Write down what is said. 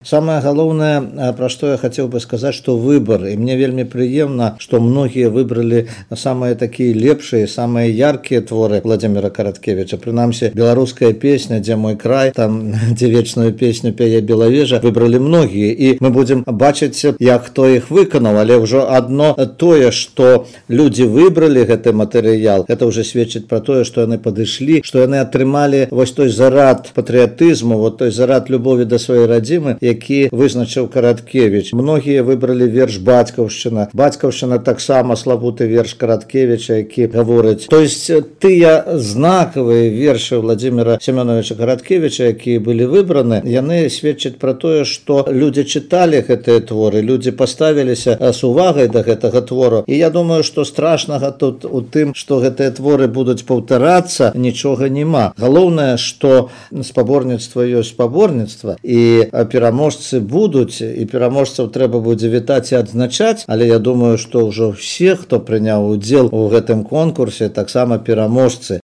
Самое галоўнае, пра што я хацеў бы сказаць, што выбар, і мне вельмі прыемна, што многія выбралі самыя такія лепшыя, самыя яркія творы Владимира Караткевича. Прынамсі, беларуская песня «Дзе мой край», там, дзе вечную песню пяе Белавежа, выбралі многія, і мы будзем бачыць, як хто іх выканаў, але ўжо адно тое, што людзі выбралі гэты матэрыял, гэта ўжо сведчыць пра тое, што яны падышлі, што яны атрымалі вось той зарад патрыятызму, вот той зарад любові да сваёй радзімы, які вызначыў Караткевич. Многія выбралі верш «Бацькаўшчына». «Бацькаўшчына» таксама славуты верш Караткевича, які гаворыць. То есть тыя знакавыя вершы Владимира Семёновича Караткевича, якія былі выбраны, яны сведчаць пра тое, што людзі чыталі гэтыя творы, людзі паставіліся з увагай да гэтага твору. І я думаю, што страшнага тут у тым, што гэтыя творы будуць паўтарацца, нічога няма. Галоўнае, што спаборніцтва ёсць спаборніцтва, і пераможцы будуць, і пераможцаў трэба будзе вітаць і адзначаць, але я думаю, што ўжо ўсе, хто прыняў удзел у гэтым конкурсе, таксама пераможцы.